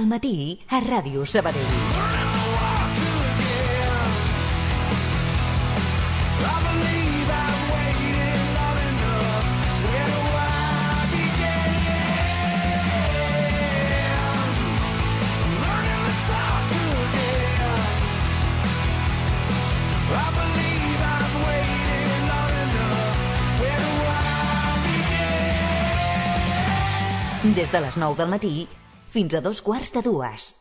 al matí a Ràdio Sabadell. Des de les 9 del matí fins a 2:45.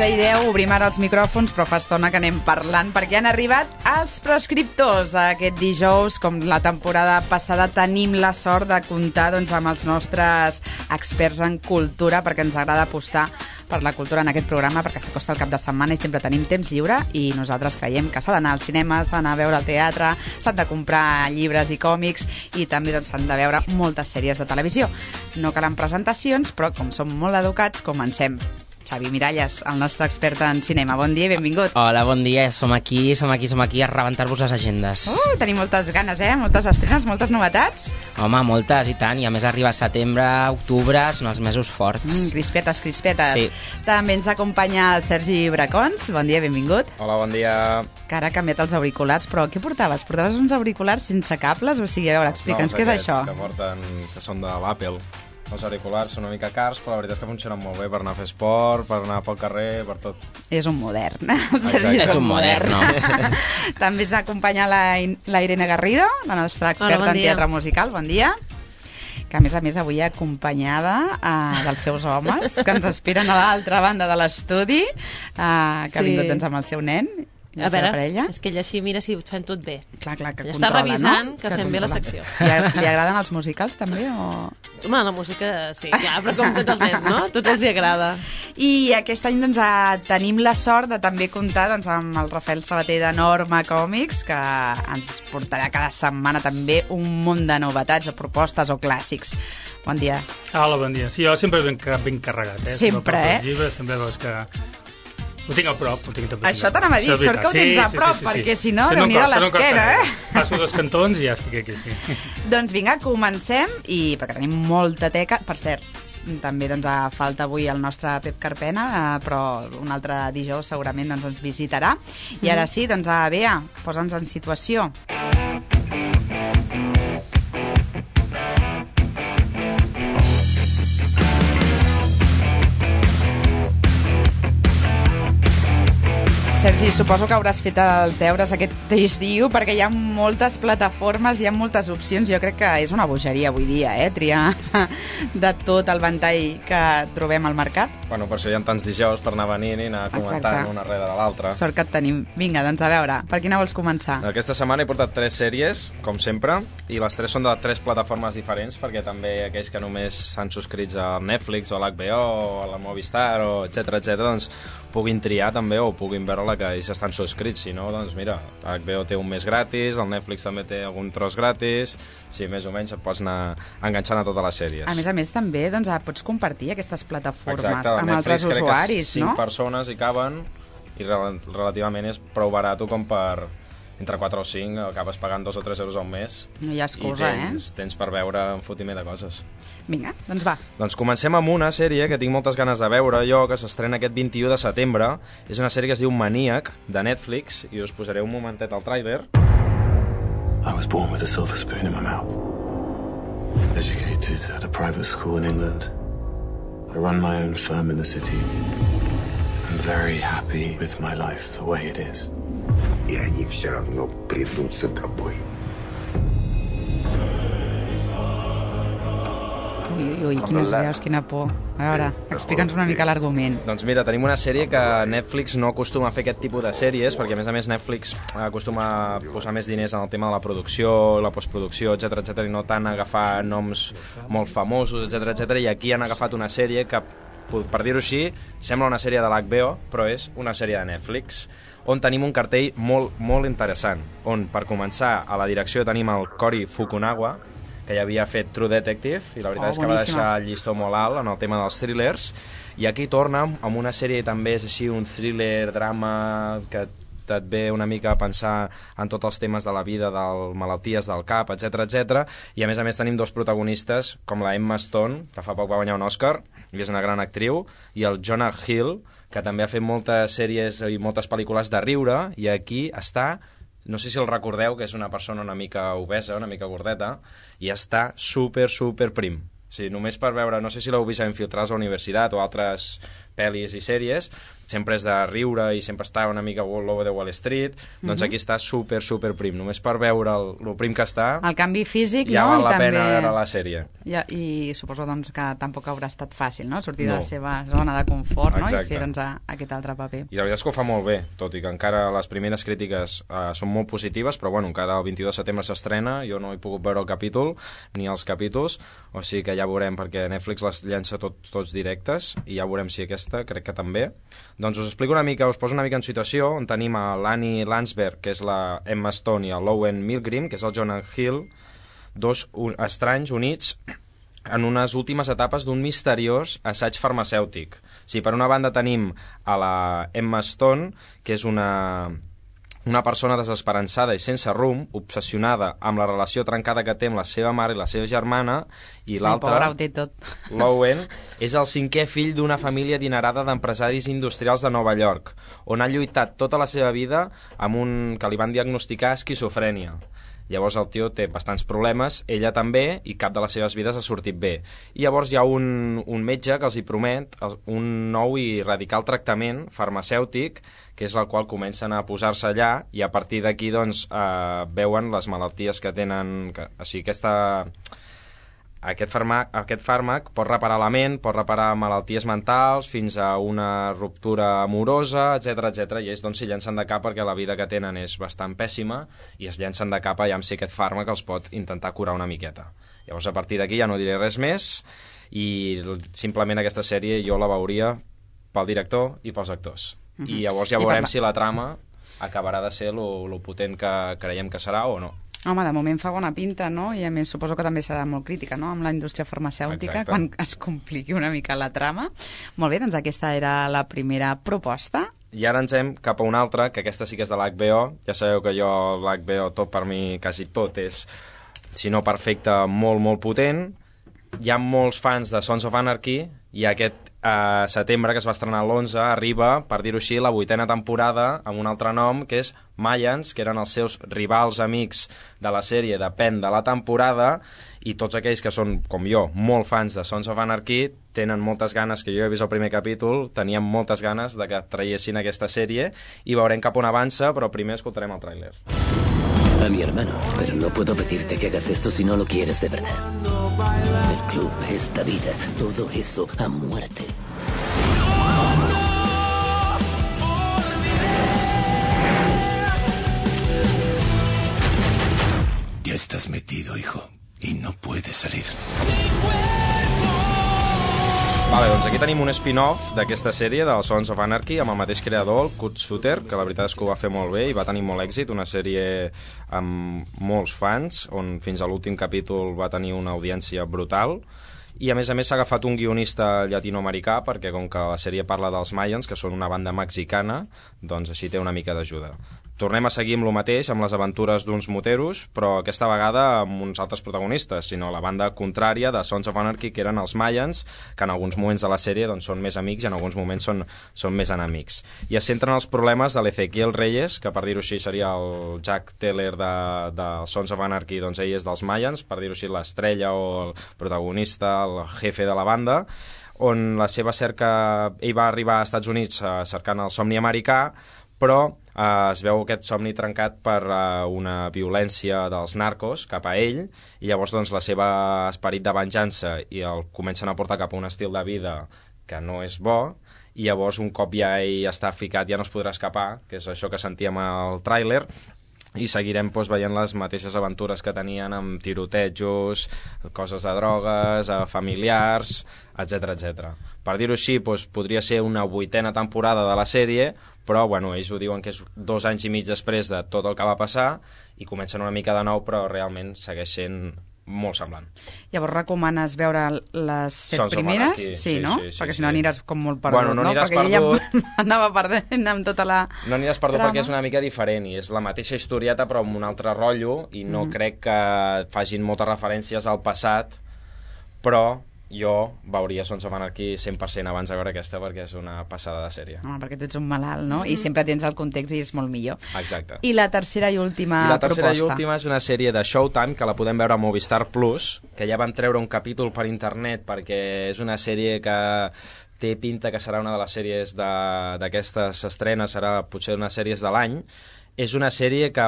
I 10, obrim ara els micròfons, però fa estona que anem parlant, perquè han arribat els prescriptors. Aquest dijous, com la temporada passada, tenim la sort de comptar amb els nostres experts en cultura, perquè ens agrada apostar per la cultura en aquest programa, perquè s'acosta el cap de setmana i sempre tenim temps lliure, i nosaltres creiem que s'ha d'anar al cinema, s'ha d'anar a veure al teatre, s'han de comprar llibres i còmics, i també s'han de veure moltes sèries de televisió. No calen presentacions, però com som molt educats, comencem. Xavi Miralles, el nostre expert en cinema. Bon dia i benvingut. Hola, bon dia. Som aquí a rebentar-vos les agendes. Tenim moltes ganes, moltes estrenes, moltes novetats. Home, moltes, i tant. I a més arriba setembre, octubre, són els mesos forts. Crispetes. Sí. També ens acompanya el Sergi Bracons. Bon dia, benvingut. Hola, bon dia. Que ara ha canviat els auriculars, però què portaves? Portaves uns auriculars sense cables? O sigui, a veure, explica'ns què és això. Que són de l'Apple. Els auriculars són una mica cars, però la veritat és que funcionen molt bé per anar a fer esport, per anar pel carrer, per tot. És un modern. El Sergi és un modern. També s'acompanya la Irene Garrido, la nostra experta en teatre musical. Bon dia. Que a més avui acompanyada dels seus homes, que ens esperen a l'altra banda de l'estudi, que ha vingut amb el seu nen. A veure, és que ella així mira si ho fem tot bé. Clar, que controla, està revisant, no? Que fem bé la secció. Li agraden els musicals, també? O... Home, la música sí, ja, però com tots els nens, no? Tots els hi agrada. I aquest any tenim la sort de també comptar amb el Rafael Sabater de Norma Còmics, que ens portarà cada setmana també un munt de novetats o propostes o clàssics. Bon dia. Hola, bon dia. Sí, jo sempre ben carregat. Sempre, Sempre veus que... Ho tinc a prop, ho tinc també. Això t'anava a dir, sort que ho tens a prop, perquè si no, Déu-n'hi-do l'esquena, Passo dos cantons i ja estic aquí, sí. Doncs vinga, comencem, i perquè tenim molta teca. Per cert, també falta avui el nostre Pep Carpena, però un altre dijous segurament ens visitarà. I ara sí, Bea, posa'ns en situació. Sergi, suposo que hauràs fet els deures aquest estiu, perquè hi ha moltes plataformes, hi ha moltes opcions. Jo crec que és una bogeria avui dia, triar de tot el ventall que trobem al mercat. Bueno, per això hi ha tants dijous per anar venint i anar comentant una rere de l'altra. Sort que et tenim. Vinga, a veure, per quina vols començar? Aquesta setmana he portat 3 sèries, com sempre, i les 3 són de 3 plataformes diferents, perquè també aquells que només s'han subscrits a Netflix o a l'HBO o a la Movistar, o etcètera, doncs puguin triar també o puguin veure la que ells estan subscrits. Si no, doncs mira, HBO té un mes gratis, el Netflix també té algun tros gratis, sí, més o menys et pots anar enganxant a totes les sèries. A més també, pots compartir aquestes plataformes amb altres usuaris, no? 5 persones hi caben i relativament és prou barat com per... Entre 4 o 5 acabes pagant 2 o 3 euros al mes. No hi ha excusa, tens per veure un fotimer de coses. Vinga, doncs va. Doncs comencem amb una sèrie que tinc moltes ganes de veure jo, que s'estrena aquest 21 de setembre. És una sèrie que es diu Maníac, de Netflix, i us posaré un momentet al tràiler. I was born with a silver spoon in my mouth. Educated at a private school in England. I run my own firm in the city. And very happy with my life the way it is. И они все равно придут за тобой. Ui, quines veus, quina por. A veure, explica'ns una mica l'argument. Doncs mira, tenim una sèrie que Netflix no acostuma a fer aquest tipus de sèries, perquè a més Netflix acostuma a posar més diners en el tema de la producció, la postproducció, etc i no tant agafar noms molt famosos, etc i aquí han agafat una sèrie que, per dir-ho així, sembla una sèrie de l'HBO, però és una sèrie de Netflix, on tenim un cartell molt interessant, on, per començar, a la direcció tenim el Cory Fukunaga, que ja havia fet True Detective, i la veritat és que va deixar el llistó molt alt en el tema dels thrillers, i aquí torna amb una sèrie també és així, un thriller, drama, que et ve una mica a pensar en tots els temes de la vida, de malalties del cap, etc, i a més tenim dos protagonistes, com la Emma Stone, que fa poc va guanyar un Oscar, i és una gran actriu, i el Jonah Hill, que també ha fet moltes sèries i moltes pel·lícules de riure, i aquí està... No sé si el recordeu, que és una persona una mica obesa, una mica gordeta, i està super prim. O sigui, només per veure, no sé si l'heu vist a Infiltrats a la universitat o altres pel·lis i sèries, sempre és de riure i sempre està una mica all over the Wall Street, doncs aquí està super prim. Només per veure el prim que està... El canvi físic, ja no? val la pena veure la sèrie. I suposo doncs, que tampoc haurà estat fàcil, no? Sortir de la seva zona de confort, no? I fer doncs, aquest altre paper. I la veritat és que ho fa molt bé, tot i que encara les primeres crítiques són molt positives, però bueno, encara el 22 de setembre s'estrena, jo no he pogut veure el capítol, ni els capítols, o sigui que ja veurem, perquè Netflix les llença tots directes, i ja veurem si aquesta, crec que també. Doncs us explico una mica, us poso una mica en situació, on tenim a l'Annie Landsberg, que és la Emma Stone, i el Lowen Milgrim, que és el Jonah Hill, dos estranys units en unes últimes etapes d'un misteriós assaig farmacèutic. O sigui, per una banda tenim a la Emma Stone, que és una persona desesperançada i sense rumb, obsessionada amb la relació trencada que té amb la seva mare i la seva germana, i l'altre, Lowen, és el cinquè fill d'una família adinerada d'empresaris industrials de Nova York, on ha lluitat tota la seva vida amb un que li van diagnosticar esquizofrènia. Llavors el tio té bastants problemes, ella també, i cap de les seves vides ha sortit bé. I llavors hi ha un metge que els hi promet un nou i radical tractament farmacèutic, que és el qual comencen a posar-se allà, i a partir d'aquí doncs, veuen les malalties que tenen... O sigui, aquest fàrmac pot reparar la ment, pot reparar malalties mentals, fins a una ruptura amorosa, etc. I ells doncs, s'hi llancen de cap perquè la vida que tenen és bastant pèssima i es llancen de cap allà amb si aquest fàrmac els pot intentar curar una miqueta. Llavors, a partir d'aquí ja no diré res més i simplement aquesta sèrie jo la veuria pel director i pels actors. I llavors ja veurem si la trama acabarà de ser lo potent que creiem que serà o no. Home, de moment fa bona pinta, no? I a més suposo que també serà molt crítica, no?, amb la indústria farmacèutica. Exacte. Quan es compliqui una mica la trama. Molt bé, doncs aquesta era la primera proposta. I ara ens hem cap a una altra, que aquesta sí que és de l'HBO. Ja sabeu que jo, l'HBO, tot per mi, quasi tot és, si no perfecte, molt potent. Hi ha molts fans de Sons of Anarchy i aquest setembre, que es va estrenar l'11, arriba, per dir-ho així, la 8ª temporada amb un altre nom, que és Mayans, que eren els seus rivals amics de la sèrie, depèn de la temporada, i tots aquells que són, com jo, molt fans de Sons of Anarchy, tenen moltes ganes, que jo he vist el primer capítol, teníem moltes ganes de que traiessin aquesta sèrie, i veurem cap on avança, però primer escoltarem el tràiler. A mi hermano, pero no puedo pedirte que hagas esto si no lo quieres de verdad. El club, esta vida, todo eso a muerte. Ya estás metido, hijo, y no puedes salir. Vale, doncs aquí tenim un spin-off d'aquesta sèrie del Sons of Anarchy amb el mateix creador, el Kurt Sutter, que la veritat és que ho va fer molt bé i va tenir molt èxit, una sèrie amb molts fans, on fins a l'últim capítol va tenir una audiència brutal, i a més s'ha agafat un guionista llatinoamericà perquè com que la sèrie parla dels Mayans, que són una banda mexicana, doncs així té una mica d'ajuda. Tornem a seguir amb lo mateix, amb les aventures d'uns moteros, però aquesta vegada amb uns altres protagonistes, sinó la banda contrària de Sons of Anarchy, que eren els Mayans, que en alguns moments de la sèrie doncs, són més amics i en alguns moments són més enemics. I es centren els problemes de l'Ezequiel Reyes, que per dir-ho així seria el Jack Teller de Sons of Anarchy, doncs ell és dels Mayans, per dir-ho així l'estrella o el protagonista, el jefe de la banda, on la seva cerca... Ell va arribar als Estats Units cercant el somni americà, però es veu aquest somni trencat per una violència dels narcos cap a ell, i llavors doncs, la seva esperit de venjança i el comencen a portar cap a un estil de vida que no és bo, i llavors un cop ja ell està ficat ja no es podrà escapar, que és això que sentíem al tràiler, i seguirem veient les mateixes aventures que tenien amb tirotejos, coses de drogues, familiars, etc. Per dir-ho així, podria ser una 8a temporada de la sèrie, però ells ho diuen que és 2 anys i mig després de tot el que va passar, i comencen una mica de nou, però realment segueix sent molt semblant. Llavors recomanes veure les 7 primeres? Sí, no? Perquè si no aniràs com molt perdut, no? Aniràs perquè perdut. Ja anava perdent amb tota la... No aniràs perdut perquè és una mica diferent, i és la mateixa historieta però amb un altre rotllo, i no crec que facin moltes referències al passat, però jo veuria Sons of Anarchy 100% abans de veure aquesta, perquè és una passada de sèrie. Perquè tu ets un malalt, no? I sempre tens el context i és molt millor. Exacte. I la tercera i última proposta? I la tercera i última és una sèrie de Showtime que la podem veure a Movistar Plus, que ja van treure un capítol per internet perquè és una sèrie que té pinta que serà una de les sèries d'aquestes estrenes, serà potser una sèries de l'any. És una sèrie que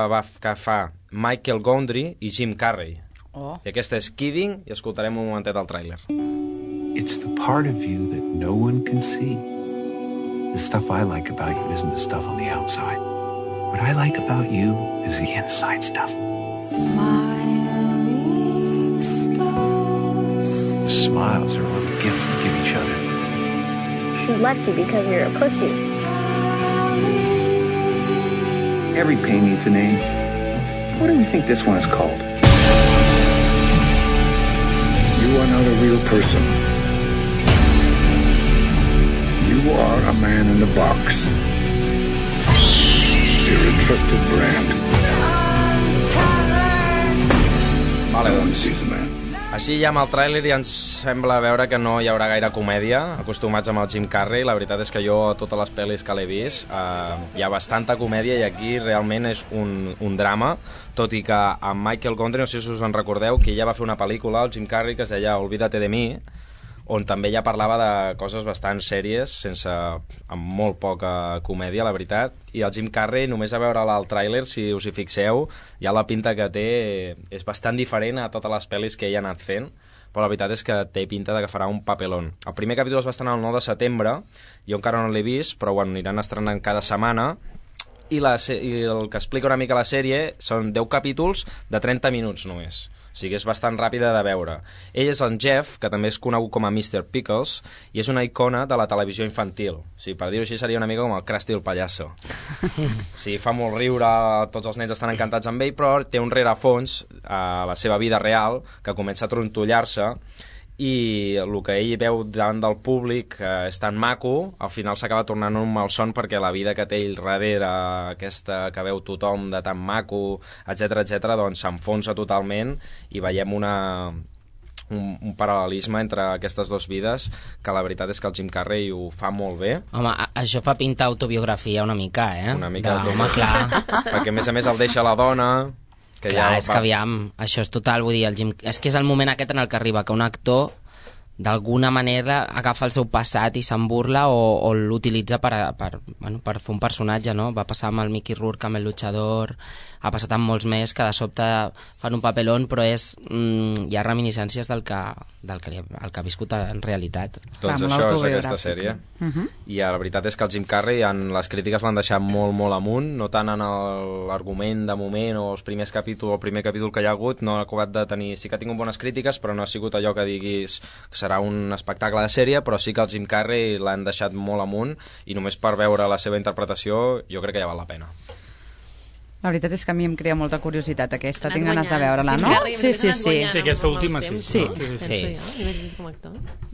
fa Michael Gondry i Jim Carrey. I aquesta és Kidding, i escoltarem un momentet al tràiler. It's the part of you that no one can see. The stuff I like about you isn't the stuff on the outside. What I like about you is the inside stuff. Smiling stars. The smiles are a little gift we give each other. She left you because you're a pussy. Every pain needs a name. What do we think this one is called? You are not a real person. You are a man in a box. You're a trusted brand. Vale, doncs. Així ja amb el tràiler ja ens sembla veure que no hi haurà gaire comèdia, acostumats amb el Jim Carrey. La veritat és que jo, a totes les pel·lis que l'he vist, hi ha bastanta comèdia, i aquí realment és un drama, tot i que amb Michael Gondry, no sé si us en recordeu, que ja va fer una pel·lícula, el Jim Carrey, que es deia Olvídate de mi, on també ja parlava de coses bastant sèries, amb molt poca comèdia, la veritat, i el Jim Carrey, només a veure el tràiler, si us hi fixeu, ja la pinta que té és bastant diferent a totes les pel·lis que ell ha anat fent, però la veritat és que té pinta de que farà un papelón. El primer capítol es va estrenar el 9 de setembre, jo encara no l'he vist, però aniran estrenant cada setmana, i el que explica una mica la sèrie són 10 capítols de 30 minuts només. O sigui, és bastant ràpida de veure. Ell és en Jeff, que també és conegut com a Mr. Pickles, i és una icona de la televisió infantil. O sigui, per dir-ho així, seria una mica com el Krusty el pallasso. Sí, fa molt riure, tots els nens estan encantats amb ell, però té un rerefons a la seva vida real, que comença a trontollar-se, i el que ell veu davant del públic és tan maco, al final s'acaba tornant un malson, perquè la vida que té ell darrere, aquesta que veu tothom de tan maco, etc, doncs s'enfonsa totalment, i veiem un paral·lelisme entre aquestes dues vides, que la veritat és que el Jim Carrey ho fa molt bé. Home, això fa pintar autobiografia una mica, Una mica home, clar. Perquè a més el deixa la dona... Clar, és que aviam, això és total, vull dir, és que és el moment aquest en el que arriba que un actor d'alguna manera agafa el seu passat i se'n burla o l'utilitza per fer un personatge, no? Va passar amb el Mickey Rourke, amb el luchador, ha passat amb molts més que de sobte fan un papelón, però hi ha reminiscències del que ha viscut en realitat. Doncs això és aquesta sèrie. I la veritat és que el Jim Carrey en les crítiques l'han deixat molt, molt amunt, no tant en l'argument de moment o el primer capítol que hi ha hagut, no ha acabat de tenir... Sí que ha tingut bones crítiques, però no ha sigut allò que diguis que serà un espectacle de sèrie, però sí que el Jim Carrey l'han deixat molt amunt, i només per veure la seva interpretació jo crec que ja val la pena. La veritat és que a mi em crea molta curiositat aquesta, tinc ganes de veure-la, no? Sí. Sí, aquesta última sí.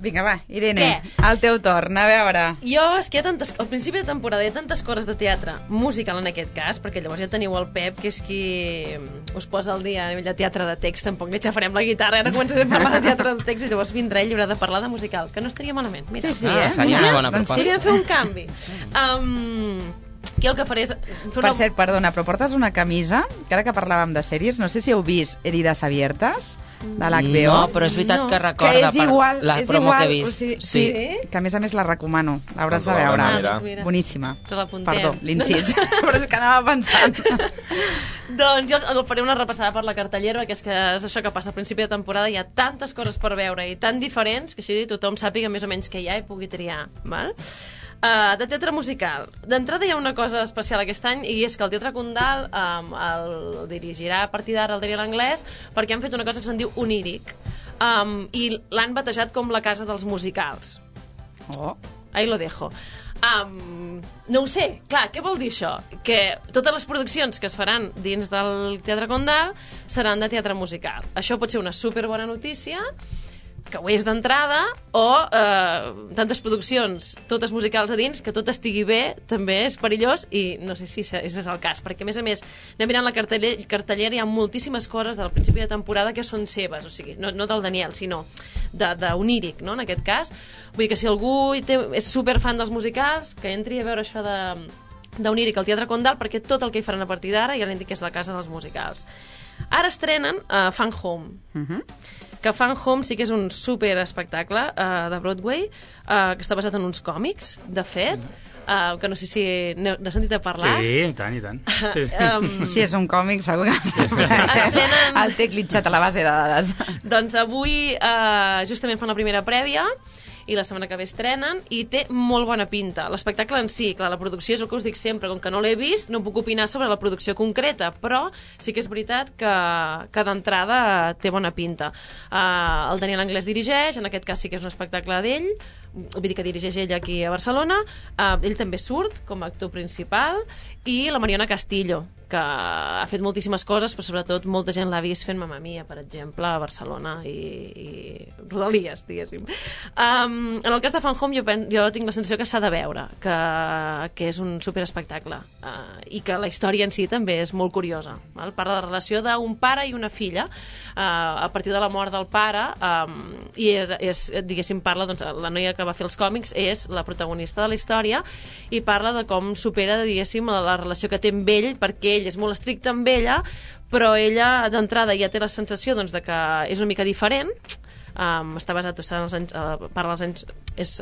Vinga, va, Irene, al teu torn, a veure. Jo, és que al principi de temporada hi ha tantes coses de teatre, musical en aquest cas, perquè llavors ja teniu el Pep, que és qui us posa al dia a nivell de teatre de text, tampoc li xafarem la guitarra, ara començarem a parlar de teatre de text i llavors vindrà ell i haurà de parlar de musical, que no estaria malament. Mira. Sí, seria una bona proposta. Seria fer un canvi. Aquí el que faré és... Per cert, perdona, però portes una camisa, que ara que parlàvem de sèries, no sé si heu vist Heridas Abiertas, de l'HBO. No, però és veritat que recorda per la promo que he vist. Sí, que a més la recomano, l'hauràs de veure. Boníssima. Perdó, l'incís, però és que anava pensant. Doncs jo faré una repassada per la cartellera, que és això que passa al principi de temporada, hi ha tantes coses per veure i tan diferents que així tothom sàpiga més o menys què hi ha i pugui triar, val? De teatre musical. D'entrada hi ha una cosa especial aquest any i és que el Teatre Condal el dirigirà a partir d'ara el Daniel Anglès perquè han fet una cosa que se'n diu Oníric i l'han batejat com la casa dels musicals. Ahí lo dejo. No ho sé, clar, què vol dir això? Que totes les produccions que es faran dins del Teatre Condal seran de teatre musical. Això pot ser una superbona notícia, que ho és d'entrada, o tantes produccions, totes musicals a dins, que tot estigui bé, també és perillós, i no sé si és el cas, perquè a més, anem mirant la cartellera, hi ha moltíssimes coses del principi de temporada que són seves, o sigui, no del Daniel, sinó d'Oníric, no?, en aquest cas. Vull dir que si algú és superfan dels musicals, que entri a veure això d'Oníric al Teatre Condal, perquè tot el que hi faran a partir d'ara ja l'hem dit que és la casa dels musicals. Ara estrenen Fan Home, que Fan Home sí que és un super espectacle de Broadway, que està basat en uns còmics, de fet, que no sé si n'heu sentit a parlar. Sí, i tant. Si és un còmic, segur que el té clitxat a la base de dades. Doncs avui justament fan la primera prèvia i la setmana que ve estrenen i té molt bona pinta. L'espectacle en si, clar, la producció és el que us dic sempre, com que no l'he vist no puc opinar sobre la producció concreta, però sí que és veritat que d'entrada té bona pinta. El Daniel Anglès dirigeix, en aquest cas sí que és un espectacle d'ell, vull dir que dirigeix ell aquí a Barcelona, ell també surt com a actor principal, i la Mariona Castillo, que ha fet moltíssimes coses, però sobretot molta gent l'ha vist fent Mamma Mia, per exemple, a Barcelona i Rodalies, diguéssim. En el cas de Fan Home jo tinc la sensació que s'ha de veure, que és un superespectacle i que la història en si també és molt curiosa. Parla de la relació d'un pare i una filla a partir de la mort del pare i diguéssim parla, doncs, la noia que va fer els còmics és la protagonista de la història i parla de com supera, diguéssim, la relació que té amb ell, perquè ell és molt estricte amb ella, però ella d'entrada ja té la sensació doncs, de que és una mica diferent. Està basat en els anys, parla dels anys,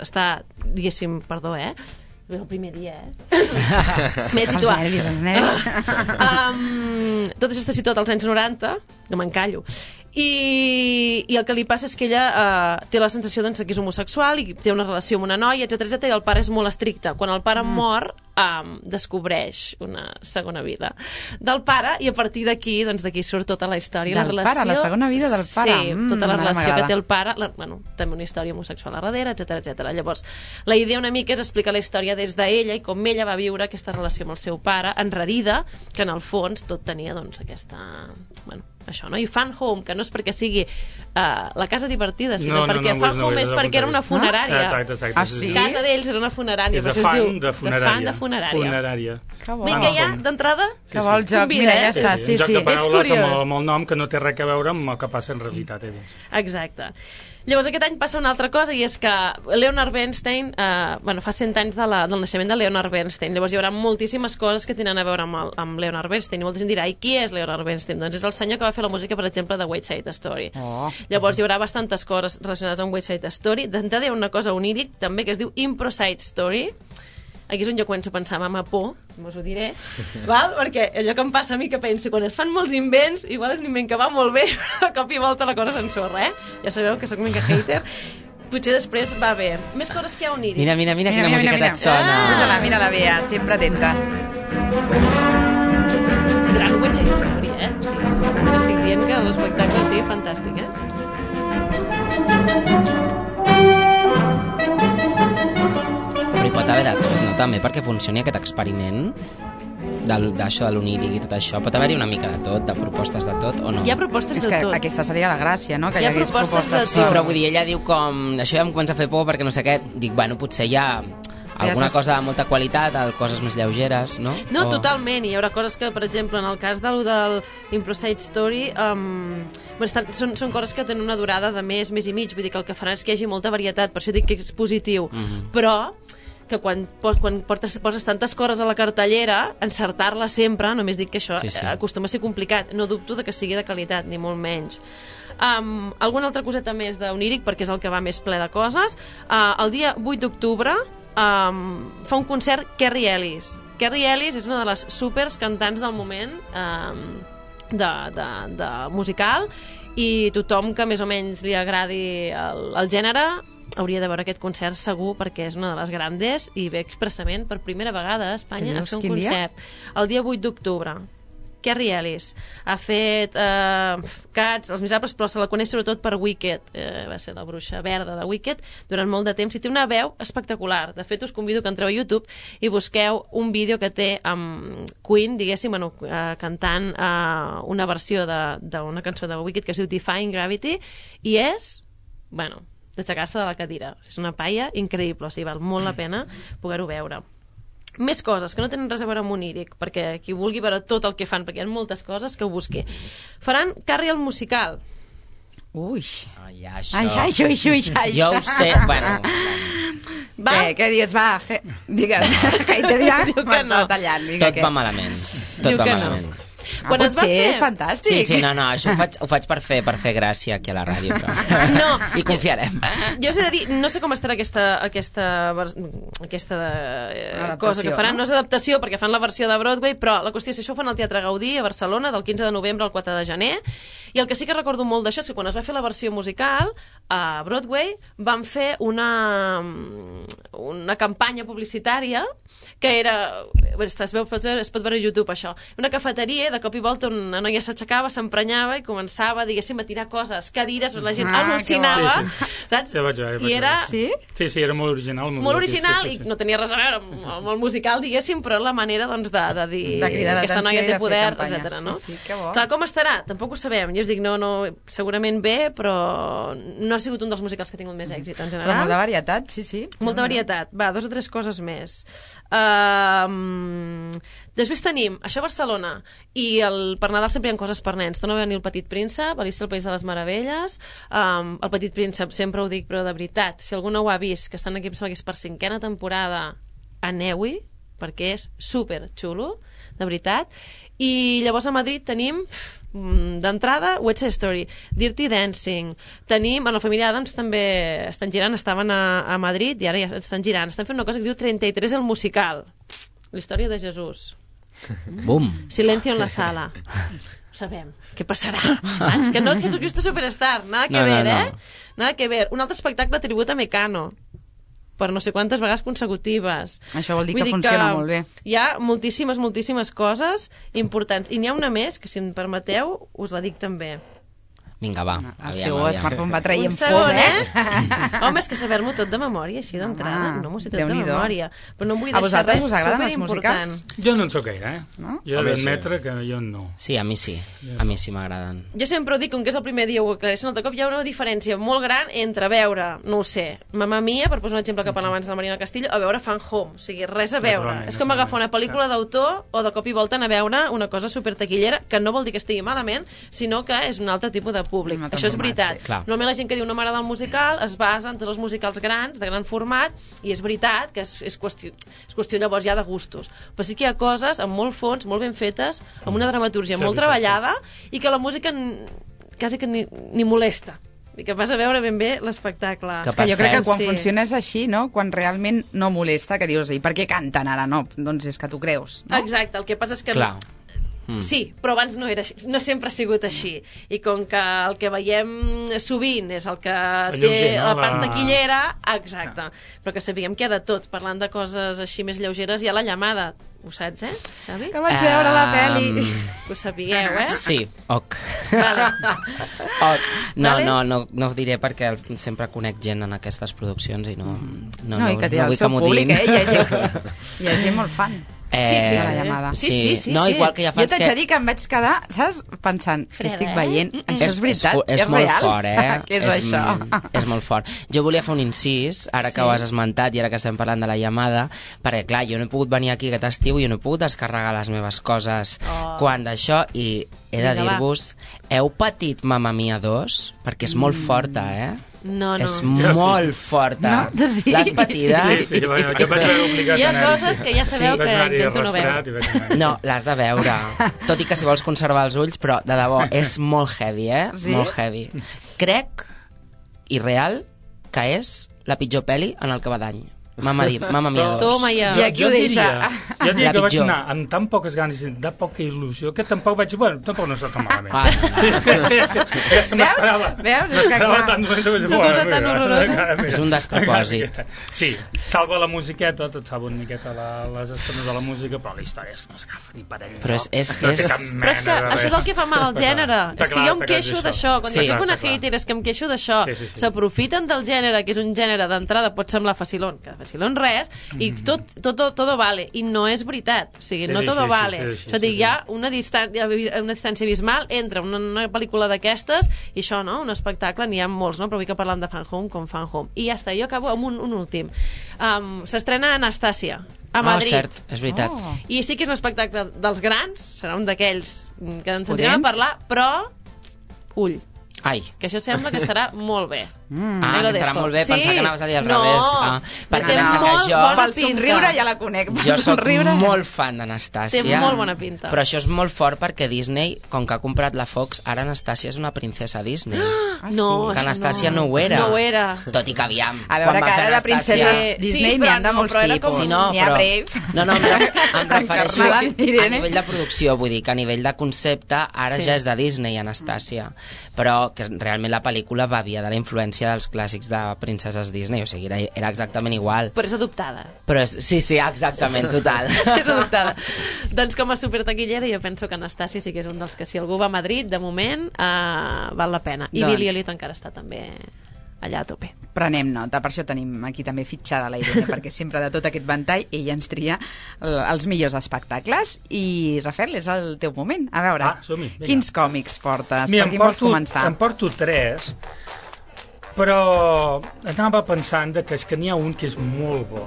està, diguéssim, perdó, el primer dia, m'he situat. Els nervis. Tot això està situat als anys 90, no m'encallo. I el que li passa és que ella té la sensació doncs, que és homosexual i té una relació amb una noia, etc i el pare és molt estricte. Quan el pare mor, descobreix una segona vida del pare i a partir d'aquí surt tota la història. Del pare, la segona vida del pare. Sí, tota la relació que té el pare, també una història homosexual a darrere, etc. Llavors, la idea una mica és explicar la història des d'ella i com ella va viure aquesta relació amb el seu pare, enrarida, que en el fons tot tenia aquesta... això, no? I Fan Home, que no és perquè sigui la casa divertida, sinó perquè Fan Home és perquè era una funerària. Exacte. Casa d'ells era una funerària. És de fan de funerària. Vinga, ja, d'entrada? Que vol joc, mira, ja està. Sí, un joc de paraules amb el nom que no té res a veure amb el que passa en realitat. Exacte. Llavors aquest any passa una altra cosa i és que Leonard Bernstein fa 100 anys del naixement de Leonard Bernstein. Llavors hi haurà moltíssimes coses que tenen a veure amb Leonard Bernstein i molta gent dirà, i qui és Leonard Bernstein? Doncs és el senyor que va fer la música, per exemple, de West Side Story. Llavors hi haurà bastantes coses relacionades amb West Side Story. D'entrada hi ha una cosa oníric també que es diu Impro Side Story. Aquí és on jo començo a pensar, mama, por, us ho diré, val? Perquè allò que em passa a mi que penso, quan es fan molts invents, igual és un invent que va molt bé, però de cop i volta la cosa s'ensorra, Ja sabeu que sóc una mica hater. Potser després va bé. Més coses que hi ha oníric. Mira quina musiqueta et sona. Mira la Bea, sempre atenta. Gran West Side Story, O sigui, estic dient que l'espectacle sigui fantàstic, Però hi pot haver de tot, no? També perquè funcioni aquest experiment d'això de l'oníric i tot això. Pot haver-hi una mica de tot, de propostes de tot, o no? Hi ha propostes de tot. És que aquesta seria la gràcia, no? Que hi hagués propostes de tot. Sí, però vull dir, ella diu com... Això ja em comença a fer por perquè no sé què. Dic, potser hi ha alguna cosa de molta qualitat, coses més lleugeres, no? No, totalment. Hi haurà coses que, per exemple, en el cas del Impro Side Story, són coses que tenen una durada de mes i mig. Vull dir que el que faran és que hi hagi molta varietat. Per això dic que és positiu. Però que quan poses tantes coses a la cartellera, encertar-la sempre, només dic que això acostuma a ser complicat. No dubto de que sigui de qualitat, ni molt menys. Alguna altra coseta més d'Oníric, perquè és el que va més ple de coses. El dia 8 d'octubre fa un concert Kerry Ellis. Kerry Ellis és una de les supers cantants del moment de musical, i tothom que més o menys li agradi el gènere hauria de veure aquest concert segur, perquè és una de les grandes i ve expressament per primera vegada a Espanya a fer un concert. El dia 8 d'octubre. Kerry Ellis ha fet Cats, Els Miserables, però se la coneix sobretot per Wicked, va ser la bruixa verda de Wicked durant molt de temps, i té una veu espectacular. De fet, us convido que entreu a YouTube i busqueu un vídeo que té amb Queen, diguéssim, cantant una versió d'una cançó de Wicked que es diu Defying Gravity, i és, d'aixecar-se de la cadira. És una paia increïble, o sigui, val molt la pena poder-ho veure. Més coses que no tenen res a veure amb Oníric, perquè qui vulgui veure tot el que fan, perquè hi ha moltes coses, que ho busqui. Faran Carrie el musical. Ui. Això. Jo ho sé. Què dius? Va, digues. Hater ja m'està tallant. Tot va malament. Tot va malament. Quan es va fer... és fantàstic. Sí, no, això ho faig per fer gràcia aquí a la ràdio, però... No. I confiarem. Jo us he de dir, no sé com estarà aquesta cosa que faran. No és adaptació, perquè fan la versió de Broadway, però la qüestió és que això ho fan al Teatre Gaudí a Barcelona del 15 de novembre al 4 de gener, i el que sí que recordo molt d'això és que quan es va fer la versió musical a Broadway van fer una campanya publicitària que era... Es pot veure a YouTube, això. Una cafeteria, de cop i volta una noia s'aixecava, s'emprenyava i començava, diguéssim, a tirar coses, cadires, la gent al·lucinava, saps? Ja vaig veure. I era... Sí? Sí, era molt original. Molt original, i no tenia res a veure amb el musical, diguéssim, però la manera, doncs, de dir que aquesta noia té poder, etc. No? Sí, que bo. Clar, com estarà? Tampoc ho sabem. Jo us dic, no, segurament bé, però no ha sigut un dels musicals que ha tingut més èxit, en general. Però molta varietat, sí. Molta varietat. Va, 2 o 3 coses més. Després tenim això a Barcelona, i per Nadal sempre hi ha coses per nens. Torna a venir El Petit Príncep, Alicia al País de les Meravelles. El Petit Príncep, sempre ho dic, però de veritat, si algú no ho ha vist, que estan aquí, em sembla que és per 5a temporada, aneu-hi, perquè és super xulo, de veritat. I llavors a Madrid tenim d'entrada West Side Story, Dirty Dancing, tenim, la família Adams també estan girant, estaven a Madrid i ara ja estan girant, estan fent una cosa que es diu 33 el musical, la història de Jesús. Bum. Silencio en la sala. Sabem què passarà. És que no és Jesucristo Superstar, nada que ver, eh? Nada que ver. Un altre espectacle tribut a Mecano, per no sé quantes vegades consecutives. Això vol dir que funciona molt bé. Hi ha moltíssimes coses importants. I n'hi ha una més, que si em permeteu, us la dic també. Vinga, va. El seu smartphone va traient fum, Home, és que saber-m'ho tot de memòria, així d'entrada. No m'ho sé tot de memòria. Però no em vull deixar res superimportant. Jo no en soc gaire, Jo he d'admetre que jo no. Sí, a mi sí. A mi sí m'agraden. Jo sempre ho dic, com que és el primer dia ho aclareixo un altre cop, hi ha una diferència molt gran entre veure, no ho sé, Mamma Mia, per posar un exemple que parlàvem abans de la Marina Castillo, a veure Fan Home. O sigui, res a veure. És com agafar una pel·lícula d'autor o de cop i volta anar a veure una cosa supertaquillera, que no vol dir que estigui malament, sinó que és un altre tipus de públic. Això és veritat. Normalment la gent que diu no m'agrada el musical es basa en tots els musicals grans, de gran format, i és veritat que és qüestió llavors ja de gustos. Però sí que hi ha coses amb molt fons, molt ben fetes, amb una dramatúrgia molt treballada, i que la música quasi que ni molesta. I que vas a veure ben bé l'espectacle. Que jo crec que quan funciona és així, no? Quan realment no molesta, que dius, i per què canten ara? No, doncs és que t'ho creus, no? Exacte, el que passa és que... Sí, però abans no era així, no sempre ha sigut així, i com que el que veiem sovint és el que té la part taquillera, exacte, però que sabíem que hi ha de tot. Parlant de coses així més lleugeres, hi ha La Llamada, ho saps, Xavi? Que vaig veure la pel·li. Ho sapigueu, Sí, ok. No ho diré perquè sempre conec gent en aquestes produccions i no i que té el seu públic, hi ha gent molt fan. La Llamada. Sí. No, igual que ja fans jo t'haig de dir que em vaig quedar, saps, pensant, que estic veient, això és veritat, és molt real? Fort, Què és això? És molt fort. Jo volia fer un incís, ara que ho has esmentat i ara que estem parlant de La Llamada, perquè clar, jo no he pogut venir aquí aquest estiu i jo no he pogut descarregar les meves coses quan d'això, i he de dir-vos, heu patit Mamma Mia 2? Perquè és molt forta, No. És molt forta. No? Sí. L'has patida? Sí, bueno, jo vaig veure obligat Hi ha a anar-hi. coses que ja sabeu que intento no veure. No, l'has de veure. Tot i que si vols conservar els ulls, però de debò, és molt heavy, Sí? Molt heavy. Crec, i real, que és la pitjor pel·li en el que va d'any. Mama Mia 2. Toma ja. I aquí ho deixa. Jo diria La que vaig pitjor. anar amb tan poques ganes i de poca il·lusió que tampoc vaig dir, bueno, tampoc no està tan malament. Ja se m'esperava. Veus? És que clar. Tant És un despropòsit. Sí, salva la musiqueta, tot salva una miqueta les estones de la música, però la història no s'agafa ni per ell. Però és... Però és que això és el que fa mal al gènere. És que jo em queixo d'això. Quan jo soc una hater és que em queixo d'això. S'aprofiten del gènere, que és un gènere d'entrada, pot semblar facilón, que facilón res, i todo vale. I no és veritat. O sigui, no todo vale. Això dic, hi ha una distància abismal entre una pel·lícula d'aquestes i això, no? Un espectacle, n'hi ha molts, no? Però avui que parlem de Fan Home com Fan Home. I ja està, jo acabo amb un últim. S'estrena Anastàcia a Madrid. Cert, és veritat. I sí que és un espectacle dels grans, serà un d'aquells que ens sentirem a parlar, però ull, Ai. que això sembla que estarà molt bé. Que estarà molt bé, pensar que anaves a dir al revés. Perquè té pensa que molt jo... bona Pel somriure ja la conec. Jo soc molt fan d'Anastàcia. Té molt bona pinta. Però això és molt fort perquè Disney, com que ha comprat la Fox, ara Anastàcia és una princesa Disney. No, que Anastàcia no ho era. No ho era. Tot i que aviam. A veure, que ara de princeses Disney n'hi ha de molts tipus. N'hi ha Brave. No, em refereixo a Irene. nivell de producció, vull dir que a nivell de concepte ara ja és de Disney, Anastàcia. Però que realment la pel·lícula bevia de la influència dels clàssics de princeses Disney, o sigui, era exactament igual. Però és adoptada. Però sí, exactament, total. És adoptada. Doncs com a supertaquillera jo penso que Anastàcia sí que és un dels que si algú va a Madrid, de moment, val la pena. I Billy Elliot encara està també allà a tope. Prenem nota, per això tenim aquí també fitxada la Irene, perquè sempre de tot aquest ventall ella ens tria els millors espectacles. I Rafael, és el teu moment. A veure, quins còmics portes? Per quin vols començar? Em porto 3, però anava pensant que és que n'hi ha un que és molt bo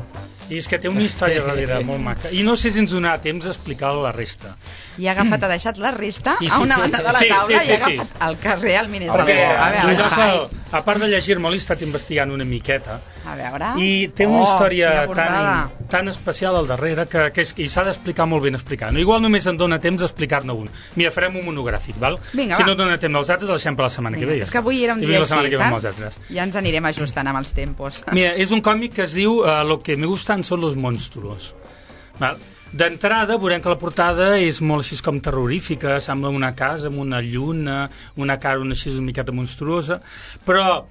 i és que té una història darrere molt maca i no sé si ens donarà temps d'explicar la resta. I ha deixat la resta a una banda de la taula i ha agafat el que realment és el bo. A part de llegir-me-l'he estat investigant una miqueta a veure. I té una història tan especial al darrere que s'ha d'explicar molt ben explicar. No, igual només em dona temps d'explicar-ne un. Mira, farem un monogràfic, val? Vinga, si no dona temps dels altres, el deixem per la setmana que ve. És que avui era un dia així, saps? Ja ens anirem ajustant amb els tempos. Mira, és un còmic que es diu Lo que me gustan son los monstruos. Val? D'entrada veurem que la portada és molt així com terrorífica, sembla una casa amb una lluna, una cara així una miqueta monstruosa, però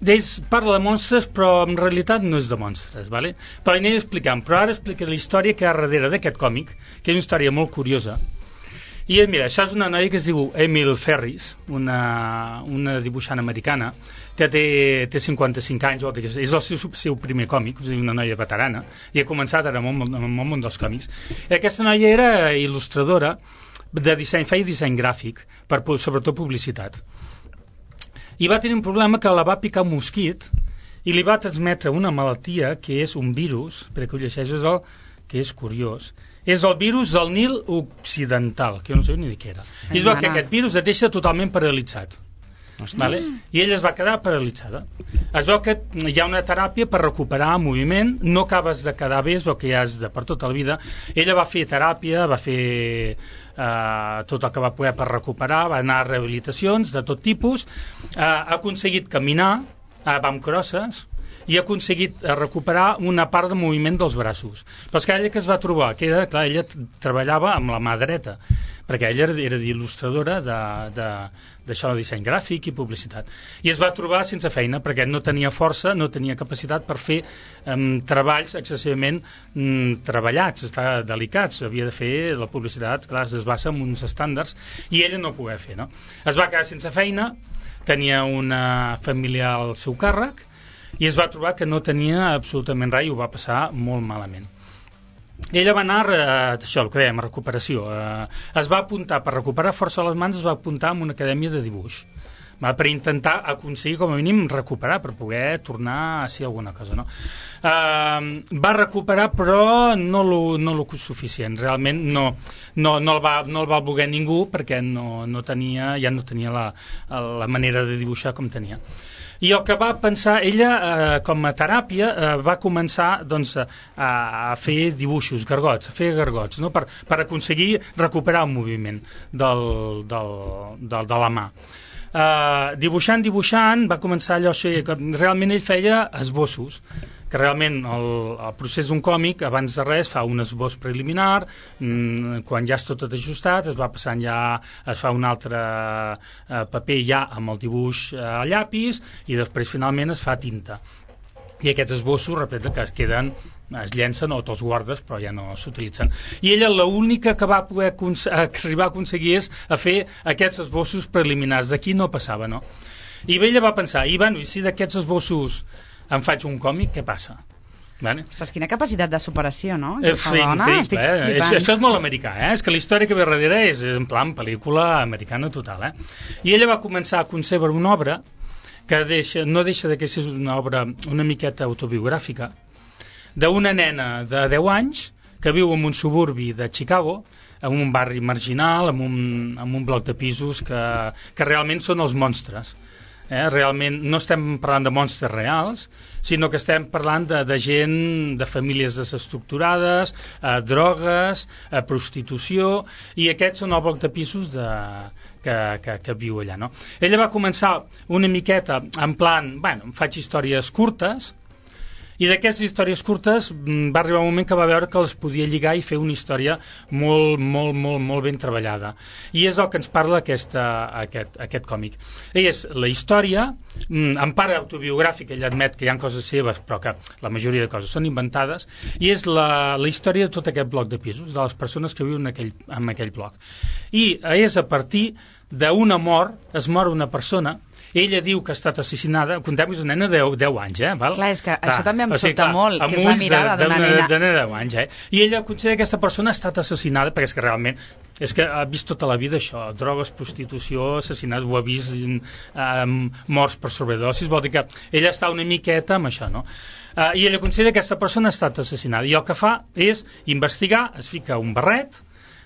d'ells parla de monstres, però en realitat no és de monstres, ¿vale? Però aniré explicant, però ara explicaré la història que hi ha darrere d'aquest còmic, que és una història molt curiosa. I mira, això és una noia que es diu Emil Ferris, una dibuixant americana, que té 55 anys, és el seu primer còmic, és una noia veterana, i ha començat ara amb el món dels còmics. I aquesta noia era il·lustradora de disseny, feia disseny gràfic, sobretot publicitat. I va tenir un problema que la va picar un mosquit i li va transmetre una malaltia que és un virus, perquè ho llegeixes que és curiós, és el virus del Nil Occidental, que jo no sé ni de què era. I es veu que aquest virus et deixa totalment paralitzat. Vale? I ella es va quedar paralitzada. Es veu que hi ha una teràpia per recuperar moviment, no acabes de quedar bé, es veu que ja és per tota la vida. Ella va fer teràpia, va fer tot el que va poder per recuperar, va anar a rehabilitacions de tot tipus, ha aconseguit caminar, va amb crosses, i ha aconseguit recuperar una part de moviment dels braços. Però és que ella que es va trobar, que era, clar, ella treballava amb la mà dreta, perquè ella era il·lustradora d'això de disseny gràfic i publicitat. I es va trobar sense feina, perquè no tenia força, no tenia capacitat per fer treballs excessivament treballats, delicats. Havia de fer la publicitat, clar, es basa en uns estàndards, i ella no ho podia fer, no? Es va quedar sense feina, tenia una família al seu càrrec, i es va trobar que no tenia absolutament res i ho va passar molt malament. Ella va anar, això, el que dèiem, a recuperació. Es va apuntar, per recuperar força a les mans, es va apuntar a una acadèmia de dibuix, per intentar aconseguir, com a mínim, recuperar, per poder tornar a ser alguna cosa, no? Va recuperar, però no lo suficient. Realment no el va voler ningú, perquè ja no tenia la manera de dibuixar com tenia. I el que va pensar, ella, com a teràpia, va començar doncs, a fer dibuixos, gargots, a fer gargots, no? per aconseguir recuperar el moviment de la mà. Dibuixant, va començar allò que realment ell feia esbossos, que realment el procés d'un còmic, abans de res, fa un esbós preliminar, quan ja està tot ajustat, es va passant ja, es fa un altre paper ja amb el dibuix a llapis, i després finalment es fa tinta. I aquests esbossos, repete, que es queden, es llencen o te'ls guardes, però ja no s'utilitzen. I ella l'única que va poder arribar a aconseguir és a fer aquests esbossos preliminars. D'aquí no passava, no? I ella va pensar, i si d'aquests esbossos em faig un còmic, què passa? Vale? Ostres, quina capacitat de superació, no? Sí, increïble, això és molt americà, És que la història que ve darrere és en plan pel·lícula americana total, I ella va començar a concebre una obra que no deixa de que és una obra una miqueta autobiogràfica, d'una nena de 10 anys que viu en un suburbi de Chicago, en un barri marginal, en un bloc de pisos que realment són els monstres. Realment no estem parlant de monstres reals, sinó que estem parlant de gent, de famílies desestructurades, drogues, prostitució, i aquests són el bloc de pisos que viu allà, no? Ella va començar una miqueta en plan, faig històries curtes, i d'aquestes històries curtes va arribar un moment que va veure que les podia lligar i fer una història molt ben treballada. I és el que ens parla aquest còmic. És la història, en part autobiogràfica, ell admet que hi ha coses seves, però que la majoria de coses són inventades, i és la història de tot aquest bloc de pisos, de les persones que viuen en aquell bloc. I és a partir d'una mort, es mor una persona. Ella diu que ha estat assassinada, contem que és una nena de 10 anys, val? Clar, és que això també em sobta molt, que és la mirada d'una nena. De 10 anys, I ella considera que aquesta persona ha estat assassinada, perquè és que realment és que ha vist tota la vida això, drogues, prostitució, assassinats, ho ha vist, morts per sobredosis, vol dir que ella està una miqueta amb això, no? I ella considera que aquesta persona ha estat assassinada, i el que fa és investigar, es fica un barret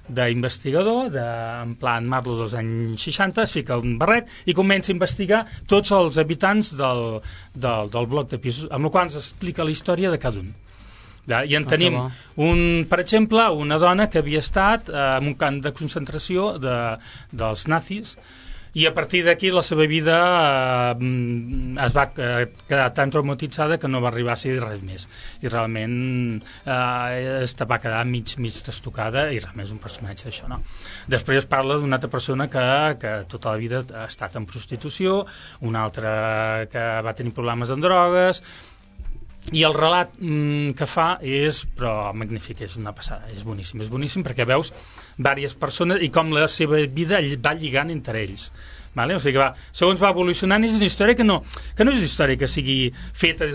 d'investigador, en plan Marlo dels anys 60, es fica un barret i comença a investigar tots els habitants del bloc de pisos, amb el qual ens explica la història de cada un. I en tenim, per exemple, una dona que havia estat en un camp de concentració dels nazis, i a partir d'aquí la seva vida es va quedar tan traumatitzada que no va arribar a ser res més, i realment va quedar mig trastocada, i realment és un personatge d'això, no? Després es parla d'una altra persona que tota la vida ha estat en prostitució, una altra que va tenir problemes amb drogues, i el relat que fa és, però magnífic, és una passada, és boníssim perquè veus diverses persones i com la seva vida va lligant entre ells, vale? O sigui que segons va evolucionant, és una història que no és una història que sigui feta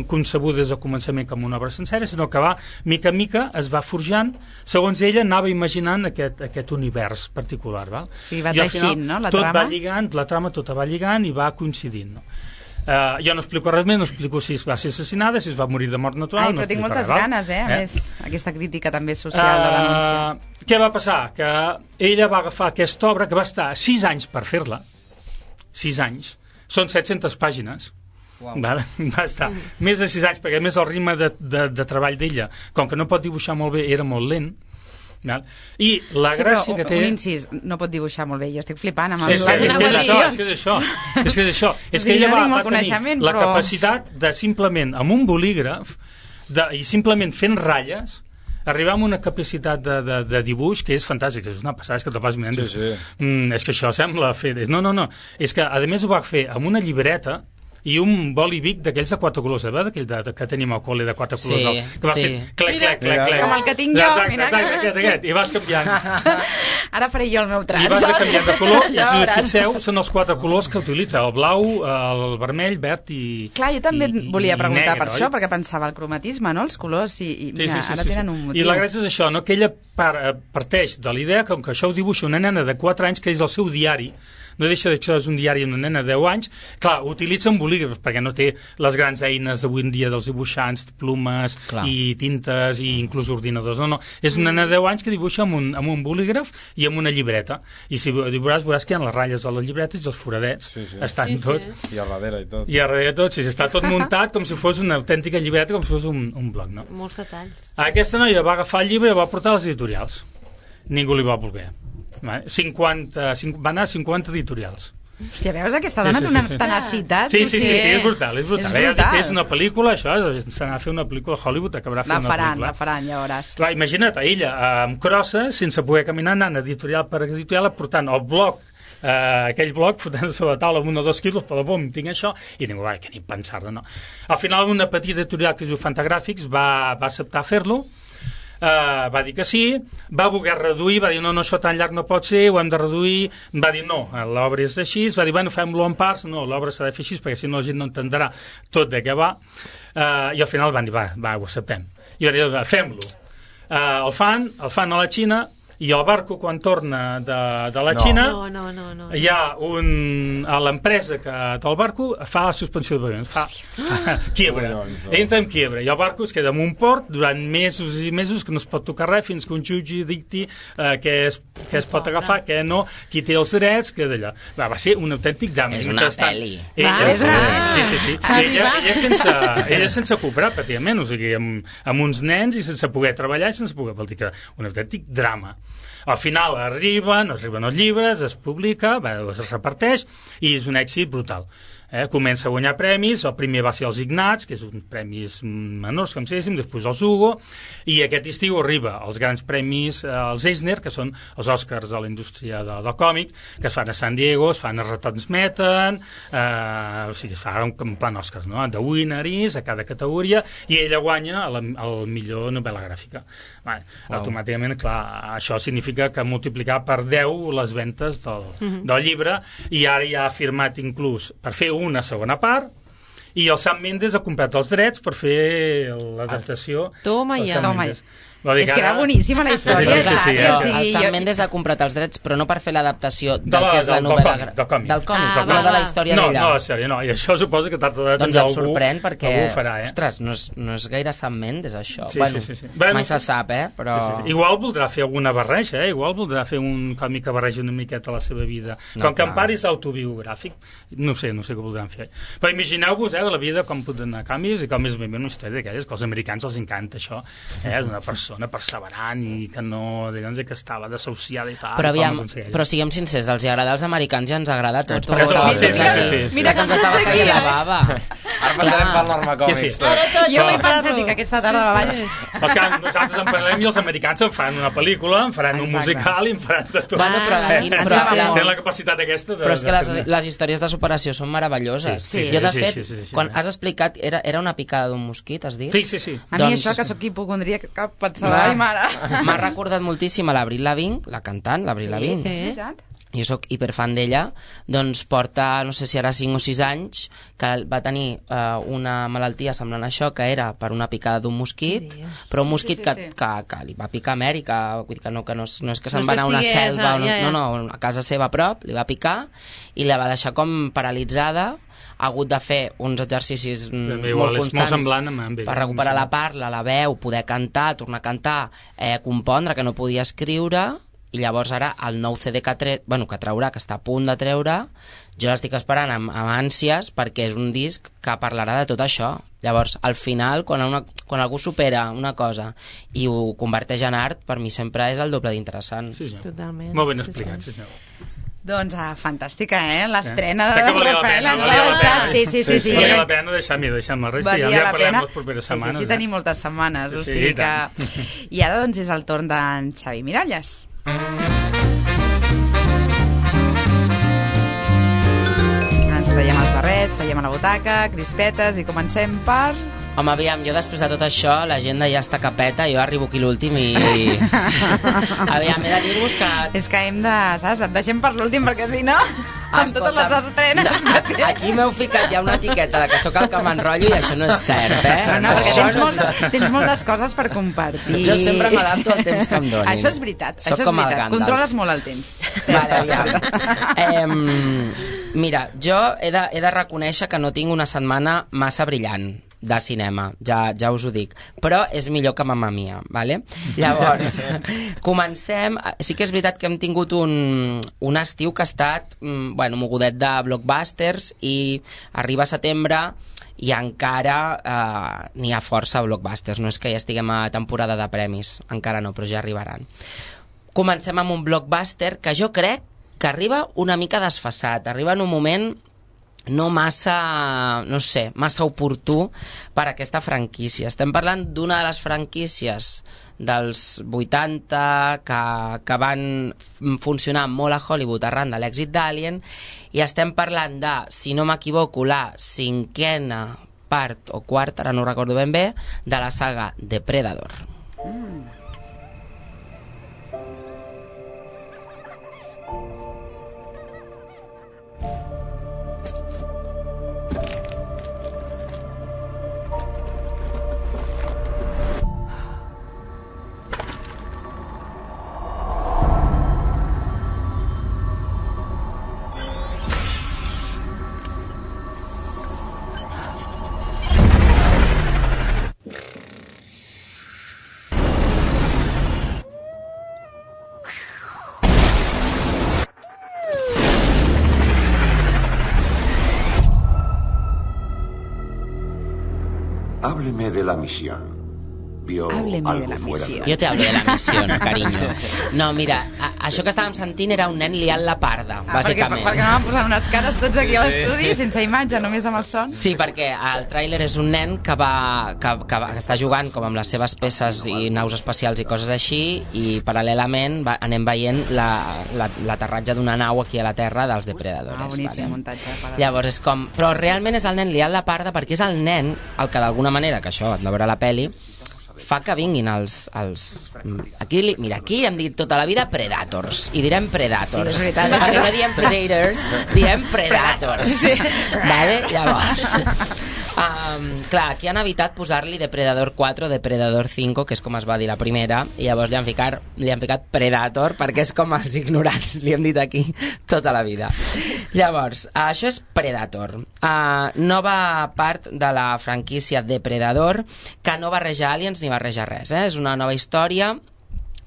concebuda des del començament com una obra sencera, sinó que va, mica en mica, es va forjant, segons ella anava imaginant aquest univers particular, val? Sí, va teixint, no?, la trama. Tot va lligant, la trama tota va lligant i va coincidint, no? Jo no explico res més, no explico si es va ser assassinada, si es va morir de mort natural. Però tinc moltes ganes, a més, aquesta crítica també social de denúncia. Què va passar? Que ella va agafar aquesta obra, que va estar 6 anys per fer-la, 6 anys, són 700 pàgines, va estar més de 6 anys, perquè a més el ritme de treball d'ella, com que no pot dibuixar molt bé, era molt lent. I la gràcia que té... Un incís, no pot dibuixar molt bé, jo estic flipant amb és que és això és que ella va tenir la capacitat de simplement amb un bolígraf i simplement fent ratlles arribar a una capacitat de dibuix que és fantàstic, és una passada, és que te'l vas mirant és que això sembla fer... No, és que a més ho va fer amb una llibreta i un boli Bic d'aquells de 4 colors, d'aquell que tenim al col·le de 4 colors, que va fer clec, com el que tinc jo, i vas canviant. Ara faré jo el meu traç. I vas canviant de color, i si us fixeu, són els 4 colors que utilitza, el blau, el vermell, verd i clar, jo també volia preguntar per això, perquè pensava el cromatisme, no?, els colors, i ara tenen un motiu. I la gràcia és això, que ella parteix de la idea que això ho dibuixa una nena de 4 anys, que és el seu diari no deixa de ser un diari d'una nena de 10 anys, clar, utilitza un bolígraf perquè no té les grans eines d'avui en dia dels dibuixants, plumes i tintes i inclús ordinadors, no, és una nena de 10 anys que dibuixa amb un bolígraf i amb una llibreta, i si veuràs que hi ha les ratlles de les llibretes i els foradets estan tots. I a darrere i tot. I a darrere tot, està tot muntat com si fos una autèntica llibreta, com si fos un bloc, no? Molts detalls. Aquesta noia va agafar el llibre i va portar a les editorials. Ningú li va voler. Va anar a 50 editorials. Hòstia, veus aquesta dona té una tenacitat? Sí, és brutal. És una pel·lícula, això, s'anà a fer una pel·lícula a Hollywood, acabarà fent una pel·lícula. La faran, ja veuràs. Clar, imagina't, ella, amb crosses, sense poder caminar, anant editorial per editorial, portant el bloc, aquell bloc, fotent sobre la taula amb 1 o 2 quilos, però bom, tinc això, i ningú va, que ni pensar-ne, no. Al final, una petita editorial que es diu Fantagràfics va acceptar fer-lo, va dir que sí, va voler reduir, va dir no, això tan llarg no pot ser, ho hem de reduir, va dir no, l'obra és així, va dir bueno, fem-lo en parts, no, l'obra s'ha de fer així perquè si no la gent no entendrà tot de què va, i al final van dir va, ho acceptem, i va dir fem-lo, el fan a la Xina, i el barco quan torna de la Xina hi ha a l'empresa que té el barco fa la suspensió de pagaments, fa quiebra, entra en quiebra i el barco es queda en un port durant mesos i mesos que no es pot tocar res fins que un jutge dicti què es pot agafar, què no, qui té els drets, que d'allò va ser un autèntic drama. És una pel·li. Sí. Ella sense cobrar pràcticament, o sigui, amb uns nens i sense poder treballar i sense poder, vol dir que un autèntic drama. Al final arriben els llibres, es publica, es reparteix i és un èxit brutal. Comença a guanyar premis, el primer va ser els Ignats, que és uns premis menors, com si diguéssim, després els Hugo, i aquest estiu arriba els grans premis, els Eisner, que són els Oscars de la indústria del còmic, que es fan a San Diego, es fan, es retransmeten, o sigui, es fan en plan Oscars, no? De Winneries, a cada categoria, i ella guanya el millor novel·la gràfica. Automàticament, clar, això significa que multiplicar per 10 les ventes del llibre, i ara ja ha firmat inclús per fer una segona part, i el Sam Mendes ha comprat els drets per fer l'adaptació. Toma ja. És que era boníssima la història. El Sam Mendes ha comprat els drets, però no per fer l'adaptació del que és la novel·la del còmic, no de la història d'ella. No, la sèrie no, i això suposa que tard o d'hora doncs em sorprèn perquè, ostres, no és gaire Sam Mendes això. Mai se sap, però... Igual voldrà fer alguna barreja, igual voldrà fer un còmic que barreja una miqueta la seva vida. Com que en part és autobiogràfic, no sé què voldran fer. Però imagineu-vos la vida com pot anar a canvis i com és ben bé una història d'aquelles, que als americans els encanta això, d'una persona perseverant i que no, diguem que estava desahuciada i tal. Però siguem sincers, els agrada als americans i ens agrada a tots. Mira que ens estava caient la bava. Ara passarem per l'Arma Còmics. Jo m'he pensat que aquesta tarda abans. És que nosaltres en parlem i els americans en fan una pel·lícula, en faran un musical i en faran de tot. Tenen la capacitat aquesta de... Però és que les històries de superació són meravelloses. Jo, de fet, quan has explicat, era una picada d'un mosquit, has dit? Sí. A mi això, que soc hipocondríaca, que pensava, ai mare. M'ha recordat moltíssim a l'Avril Lavigne, la cantant, l'Avril Lavigne. Sí, és veritat. Jo sóc hiperfan d'ella, doncs porta, no sé si ara 5 o 6 anys, que va tenir una malaltia semblant a això, que era per una picada d'un mosquit, però un mosquit que li va picar a Amèrica, vull dir que no és que se'n va anar a una selva, no, a casa seva a prop, li va picar i la va deixar com paralitzada, ha hagut de fer uns exercicis molt constants per recuperar la parla, la veu, poder cantar, tornar a cantar, compondre, que no podia escriure, i llavors ara el nou CD que traurà, que està a punt de treure, jo l'estic esperant amb ànsies perquè és un disc que parlarà de tot això. Llavors, al final, quan algú supera una cosa i ho converteix en art, per mi sempre és el doble d'interessant. Sí, senyor. Totalment. Molt ben explicat, sí, senyor. Doncs fantàstica, l'estrena de Rafael. Sí. Valia la pena deixar-me la resta i ja parlem les properes setmanes. Sí, tenim moltes setmanes, o sigui que... I ara doncs és el torn d'en Xavi Miralles. Ens traiem els barrets, seiem a la butaca, crispetes i comencem per... Home, aviam, jo després de tot això, l'agenda ja està capeta, jo arribo aquí l'últim i... Aviam, he de dir-vos que... És que hem de... Saps? Et deixem per l'últim, perquè si no, amb totes les estrenes... Aquí m'heu ficat ja una etiqueta de que sóc el que m'enrotllo i això no és cert, No, perquè tens moltes coses per compartir. Jo sempre m'adapto al temps que em donin. Això és veritat, Soc com el Gandalf. Controles molt el temps. Vale, aviam. Mira, jo he de reconèixer que no tinc una setmana massa brillant de cinema, ja us ho dic, però és millor que Mamma Mia, vale? Llavors, comencem. Sí que és veritat que hem tingut un estiu que ha estat mogudet de blockbusters i arriba setembre i encara n'hi ha força blockbusters, no és que ja estiguem a temporada de premis, encara no, però ja arribaran. Comencem amb un blockbuster que jo crec que arriba una mica desfasat, arriba en un moment no massa, no sé, massa oportú per a aquesta franquícia. Estem parlant d'una de les franquícies dels 80 que van funcionar molt a Hollywood arran de l'èxit d'Alien, i estem parlant de, si no m'equivoco, la 5a part o quarta, ara no ho recordo ben bé, de la saga Depredador. Hábleme de la misión. ¿Vio algo fuera de la... Jo te hablo de la missió, carinyo. No, mira, això que estàvem sentint era un nen liant la parda, bàsicament. Perquè anàvem posant unes cares tots aquí a l'estudi, sense imatge, només amb el son. Sí, perquè el tràiler és un nen que està jugant com amb les seves peces i naus espacials i coses així, i paral·lelament anem veient l'aterratge d'una nau aquí a la Terra dels depredadores. Boníssim, muntatge. Llavors és com... Però realment és el nen liant la parda perquè és el nen el que d'alguna manera, que això et veure a la peli, fa que vinguin els... Mira, aquí hem dit tota la vida Predators, i direm Predators. Sí, és veritat. Perquè no diem Predators, diem Predators. Sí. Vale? Llavors... clar, aquí han evitat posar-li Depredador 4 o Depredador 5, que és com es va dir la primera, i llavors li han ficat Predator, perquè és com els ignorants, li hem dit aquí tota la vida. Llavors, això és Predator. Nova part de la franquícia Depredador, que no barreja aliens ni barreja res, és una nova història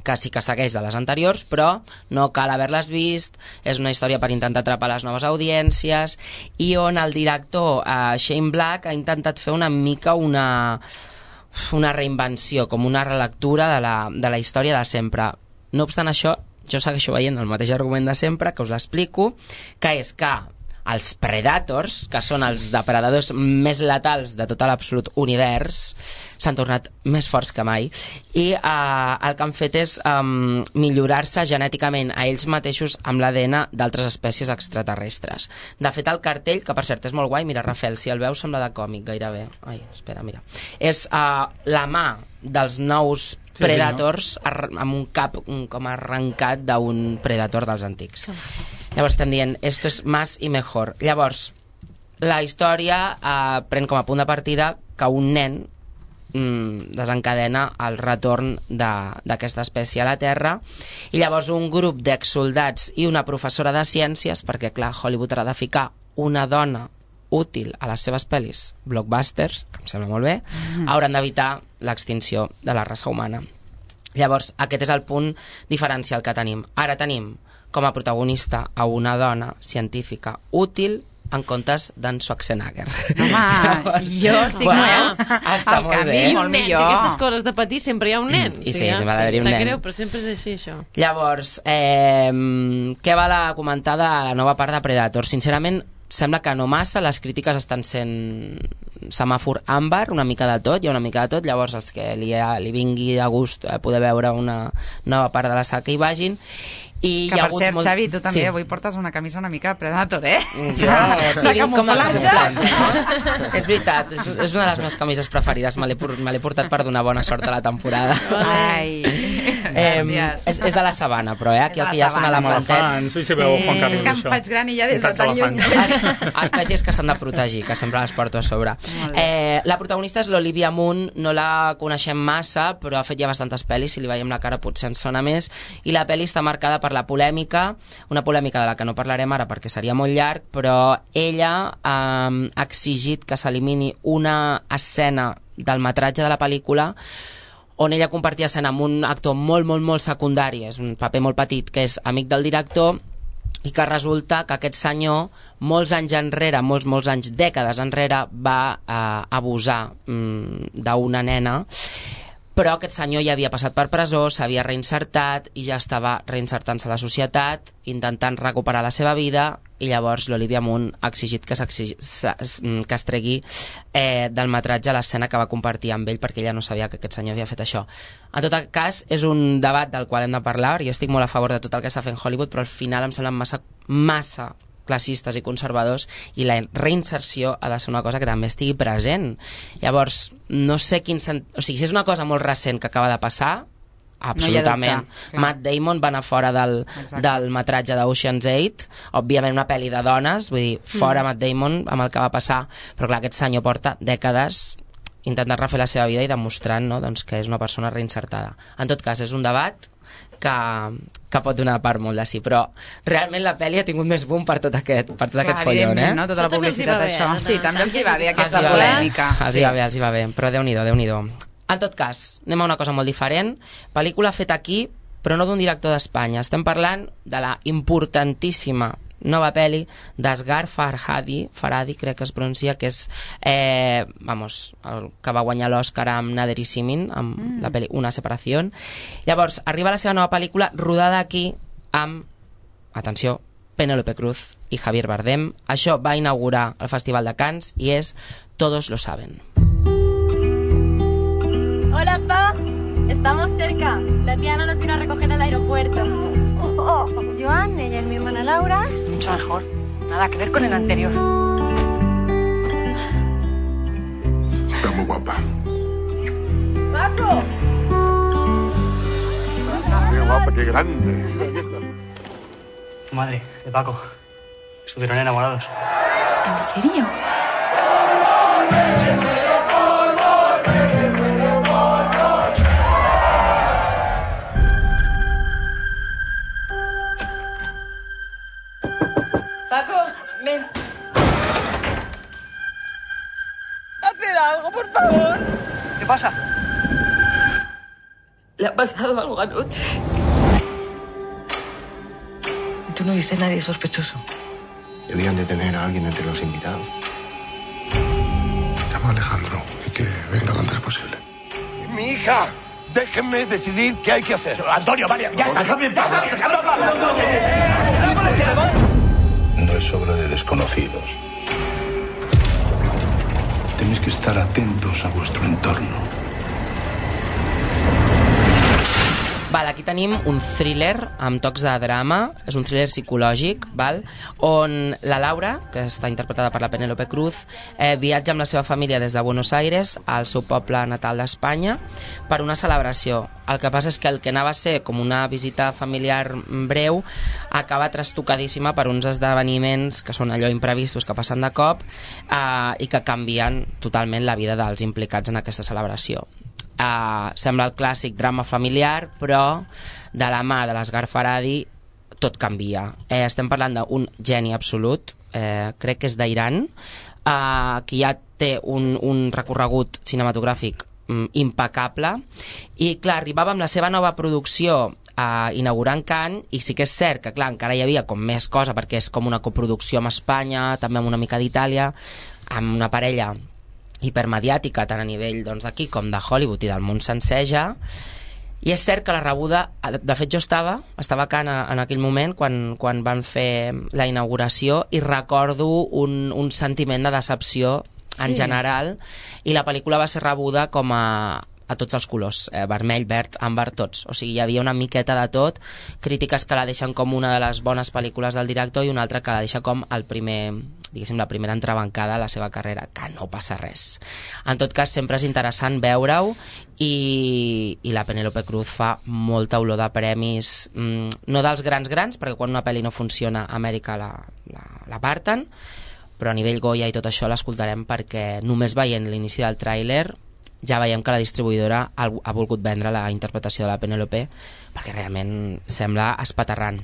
que sí que segueix de les anteriors, però no cal haver-les vist, és una història per intentar atrapar les noves audiències, i on el director Shane Black ha intentat fer una mica una reinvenció, com una relectura de la història de sempre. No obstant això, jo segueixo veient el mateix argument de sempre, que us l'explico, que és que els Predators, que són els depredadors més letals de tot l'absolut univers, s'han tornat més forts que mai, i el que han fet és millorar-se genèticament a ells mateixos amb l'ADN d'altres espècies extraterrestres. De fet, el cartell, que per cert és molt guai, mira, Rafael, si el veus sembla de còmic gairebé. Ai, espera, mira. És la mà dels nous Predators amb un cap com arrencat d'un Predator dels antics. Llavors estem dient, esto es más y mejor. Llavors, la història pren com a punt de partida que un nen desencadena el retorn d'aquesta espècie a la Terra, i llavors un grup d'exsoldats i una professora de ciències, perquè clar, Hollywood ha de ficar una dona útil a les seves pel·lis blockbusters, que em sembla molt bé, hauran d'evitar l'extinció de la raça humana. Llavors, aquest és el punt diferencial que tenim. Ara tenim com a protagonista a una dona científica útil en comptes d'en Schwarzenegger. Home, jo sí que està molt bé. Molt millor. Aquestes coses de patir sempre hi ha un nen. I sí, sempre ha d'haver-hi un nen. Sap greu, però sempre és així, això. Llavors, què val a comentar de la nova part de Predator? Sincerament, sembla que no massa, les crítiques estan sent semàfor àmbar, una mica de tot, hi ha una mica de tot, llavors els que li vingui de gust poder veure una nova part de la saga que hi vagin, I que, per cert, Xavi, tu també avui portes una camisa una mica Predator, eh? Sí, com a camuflatge, no? És veritat, és una de les meves camises preferides. Me l'he portat per donar bona sort a la temporada. Ai, gràcies. És de la sabana, però aquí el que ja són elefantets. Sí, sí, veu Juan Carlos, és que em faig gran i ja des de tan lluny. Espècies que s'han de protegir, que sempre les porto a sobre. La protagonista és l'Olivia Munn, no la coneixem massa, però ha fet ja bastantes pel·lis, si li veiem la cara potser ens sona més, i la pel·li està marcada per la polèmica, una polèmica de la que no parlarem ara perquè seria molt llarg, però ella ha exigit que s'elimini una escena del metratge de la pel·lícula on ella compartia escena amb un actor molt, molt, molt secundari, és un paper molt petit, que és amic del director, i que resulta que aquest senyor, molts anys enrere, molts anys, dècades enrere, va abusar d'una nena, però aquest senyor ja havia passat per presó, s'havia reinsertat i ja estava reinsertant-se a la societat, intentant recuperar la seva vida, i llavors l'Olivia Munn ha exigit que es tregui del metratge l'escena que va compartir amb ell, perquè ella no sabia que aquest senyor havia fet això. En tot cas, és un debat del qual hem de parlar. Jo estic molt a favor de tot el que està fent Hollywood, però al final em semblen massa classistes i conservadors, i la reinserció ha de ser una cosa que també estigui present. Llavors, no sé o sigui, si és una cosa molt recent que acaba de passar, absolutament. No Matt Damon va anar fora del metratge d'Ocean's 8, òbviament una pel·li de dones, vull dir, fora Matt Damon amb el que va passar, però clar, aquest senyor porta dècades intentant refer la seva vida i demostrant, no, doncs, que és una persona reinsertada. En tot cas, és un debat que pot donar part molt de sí, però realment la pel·li ha tingut més boom per tot aquest follon, eh? No? Tota la publicitat d'això. Sí, també els hi va bé aquesta polèmica. Els hi va bé, però Déu-n'hi-do. En tot cas, anem a una cosa molt diferent. Pel·lícula feta aquí, però no d'un director d'Espanya. Estem parlant de la importantíssima nova pel·li d'Asghar Farhadi, crec que es pronuncia, que és el que va guanyar l'Oscar amb Nader i Simin, amb la pel·li Una separació. Llavors, arriba la seva nova pel·lícula rodada aquí amb, atenció, Penélope Cruz i Javier Bardem. Això va inaugurar el Festival de Cannes i és Todos lo saben. Hola, Pa. Estamos cerca. La tía Ana nos vino a recoger al aeropuerto. Joan, ella es mi hermana Laura. Mucho mejor. Nada que ver con el anterior. Está muy guapa. ¡Paco! Qué guapa, qué grande. Tu madre, de Paco. Estuvieron enamorados. ¿En serio? Paco, ven. Haced algo, por favor. ¿Qué pasa? Le ha pasado algo anoche. ¿Tú no viste a nadie sospechoso? Debían de tener a alguien entre los invitados. Llama a Alejandro y que venga lo antes posible. ¡Mi hija! Déjenme decidir qué hay que hacer. Antonio, vale, ya está. Déjame en paz. No es obra de desconocidos. Tenéis que estar atentos a vuestro entorno. Val, aquí tenim un thriller amb tocs de drama, és un thriller psicològic, val? On la Laura, que està interpretada per la Penélope Cruz, viatja amb la seva família des de Buenos Aires al seu poble natal d'Espanya per una celebració. El que passa és que el que anava a ser com una visita familiar breu acaba trastocadíssima per uns esdeveniments que són allò imprevistos que passen de cop i que canvien totalment la vida dels implicats en aquesta celebració. Sembla el clàssic drama familiar, però de la mà de l'Asghar Farhadi tot canvia. Estem parlant d'un geni absolut, crec que és d'Iran, que ja té un recorregut cinematogràfic impecable, i clar, arribava amb la seva nova producció inaugurant Cannes, i sí que és cert que clar, encara hi havia com més cosa, perquè és com una coproducció amb Espanya, també amb una mica d'Itàlia, amb una parella hipermediàtica tant a nivell d'aquí com de Hollywood i del món sencer ja. I és cert que la rebuda, de fet jo estava a Cannes en aquell moment quan van fer la inauguració, i recordo un sentiment de decepció en general, i la pel·lícula va ser rebuda com a a tots els colors, vermell, verd, àmbar, tots. O sigui, hi havia una miqueta de tot, crítiques que la deixen com una de les bones pel·lícules del director i una altra que la deixa com el primer, diguéssim, la primera entrebancada a la seva carrera, que no passa res. En tot cas, sempre és interessant veure-ho i la Penélope Cruz fa molta olor de premis, no dels grans, perquè quan una pel·li no funciona a Amèrica l'aparten, però a nivell Goya i tot això l'escoltarem perquè només veient l'inici del tràiler ja veiem que la distribuïdora ha volgut vendre la interpretació de la Penélope perquè realment sembla espaterrant.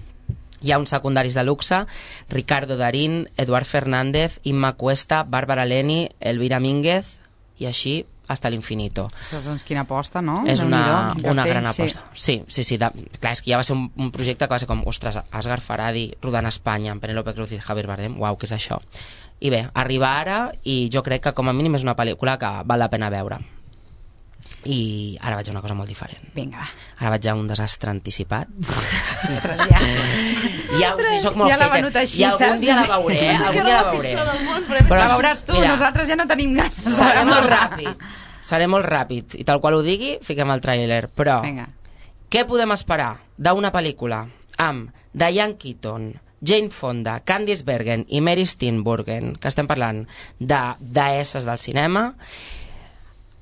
Hi ha uns secundaris de luxe, Ricardo Darín, Eduard Fernández, Imma Cuesta, Bàrbara Leni, Elvira Mínguez i així hasta l'infinito. Ostres, doncs quina aposta, no? És una gran aposta. Sí. Clar, és que ja va ser un projecte que va ser com, ostres, Asghar Farhadi rodant a Espanya amb Penélope Cruz i Javier Bardem, uau, què és això? I bé, arriba ara i jo crec que com a mínim és una pel·lícula que val la pena veure. I ara vaig a una cosa molt diferent. Vinga, va. Ara vaig a un desastre anticipat. Ostres, ja. Soc molt hater. I algun dia la veuré, Però la veuràs tu, nosaltres ja no tenim ganes. Seré molt ràpid. I tal qual ho digui, fiquem el tràiler. Però, què podem esperar d'una pel·lícula amb Diane Keaton, Jane Fonda, Candice Bergen i Mary Steenburgen, que estem parlant de deesses del cinema,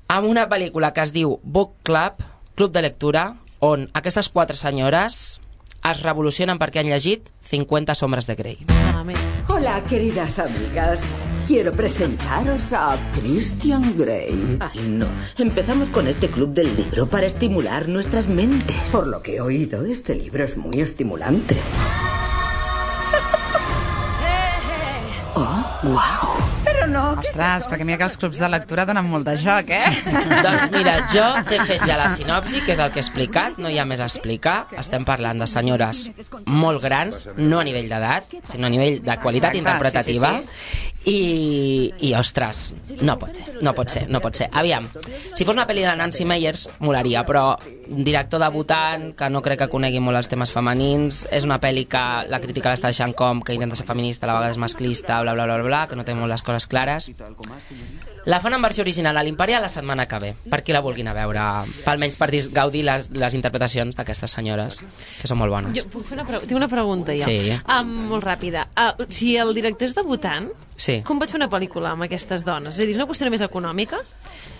amb una pel·lícula que es diu Book Club, Club de Lectura, on aquestes 4 senyores es revolucionen perquè han llegit 50 sombras de Grey. Hola, queridas amigas. Quiero presentaros a Christian Grey. Ay, no. Empezamos con este club del libro para estimular nuestras mentes. Por lo que he oído, este libro es muy estimulante. Oh, wow. Però no... Ostres, perquè mira que els clubs de lectura donen molt de joc, Doncs mira, jo t'he fet ja la sinopsi, que és el que he explicat, no hi ha més a explicar. Estem parlant de senyores molt grans, no a nivell d'edat, sinó a nivell de qualitat interpretativa. I ostres, no pot ser. Aviam, si fos una pel·li de Nancy Meyers, molaria, però director debutant, que no crec que conegui molt els temes femenins, és una pel·li que la crítica l'està deixant com que intenta ser feminista, a la vegada és masclista, bla, bla, bla, bla, que no té molt les coses clares. La fan en versió original a l'Imperial la setmana que ve, per qui la vulguin a veure, almenys per gaudir les interpretacions d'aquestes senyores, que són molt bones. Jo tinc una pregunta ja, molt ràpida. Si el director és debutant, com pot fer una pel·lícula amb aquestes dones? És a dir, és una qüestió més econòmica?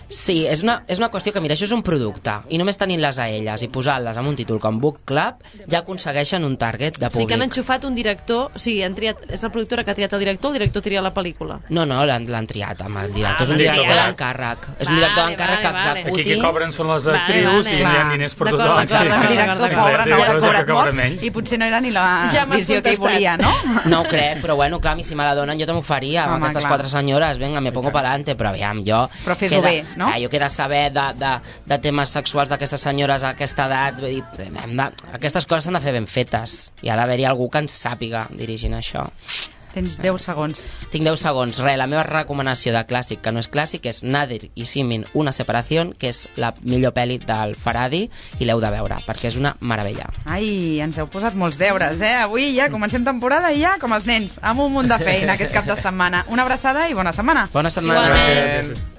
Sí, és una qüestió que, mira, això és un producte, i només tenint-les a elles i posant-les amb un títol com Book Club, ja aconsegueixen un target de públic. O sigui que han enxufat un director, o sigui, és la productora que ha triat el director tria la pel·lícula? No, l'han triat amb el director, és un director d'encàrrec. És un director d'encàrrec que executi... Aquí que cobren són les actrius i hi ha diners per tothom. El director pobre no ha cobrat molt i potser no era ni la visió que hi volia, no? No ho crec, però bueno, clar, si me la donen jo també ho faria, amb aquestes 4 senyores, venga, me pongo pa'lante, però aviam, jo... Però fes-ho bé, no? Jo que he de saber de temes sexuals d'aquestes senyores a aquesta edat, aquestes coses s'han de fer ben fetes i ha d'haver-hi algú que ens sàpiga dirigint això. Tens 10 segons. Tinc 10 segons. La meva recomanació de clàssic, que no és clàssic, és Nadir i Simin, una separació, que és la millor pel·li del Farhadi i l'heu de veure, perquè és una meravella. Ai, ens heu posat molts deures, Avui ja comencem temporada i ja, com els nens, amb un munt de feina aquest cap de setmana. Una abraçada i bona setmana. Bona setmana. Gràcies.